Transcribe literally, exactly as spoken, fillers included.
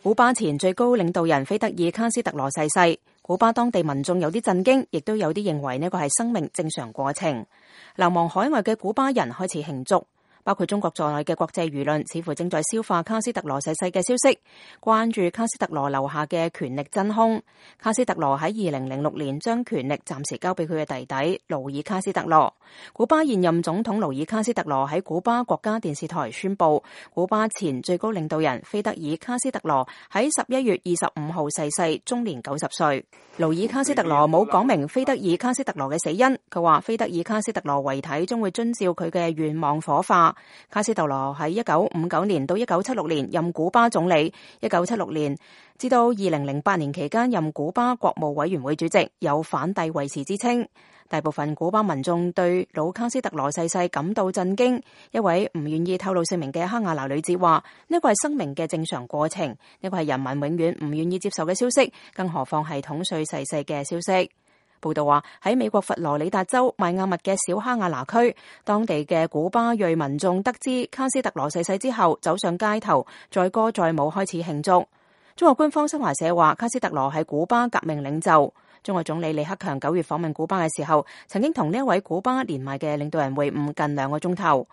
古巴前最高領導人菲德爾卡斯特羅逝世，古巴當地民眾有啲震驚，亦都有啲認為呢個係生命正常過程。流亡海外嘅古巴人開始慶祝。包括中國在內嘅國際輿論似乎正在消化卡斯特羅逝世嘅消息，關注卡斯特羅留下嘅權力真兇。卡斯特羅喺二零零六年將權力暫時交俾佢嘅弟弟勞爾卡斯特羅。古巴現任總統勞爾卡斯特羅喺古巴國家電視台宣布，古巴前最高領導人菲德爾卡斯特羅喺十一月二十五號逝世，終年九十歲。勞爾卡斯特羅冇講明菲德爾卡斯特羅嘅死因，佢話菲德爾卡斯特羅遺體將會遵照佢嘅願望火化。卡斯特羅喺一九五九年到一九七六年任古巴總理，一九七六年至到二零零八年期間任古巴國務委員會主席，有反帝遺辭之稱。大部分古巴民眾對老卡斯特羅逝世感到震驚。一位唔願意透露姓名嘅哈瓦那女子話：呢個係生命嘅正常過程，呢個係人民永遠唔願意接受嘅消息，更何況係統帥逝世嘅消息。報道話喺美國佛羅里達州邁阿密嘅小哈瓦那區，當地嘅古巴裔民眾得知卡斯特羅逝世之後，走上街頭，載歌載舞開始慶祝。中國官方新華社話，卡斯特羅係古巴革命領袖。中國總理李克強九月訪問古巴嘅時候，曾經同呢一位古巴年邁嘅領導人會晤近兩個鐘頭。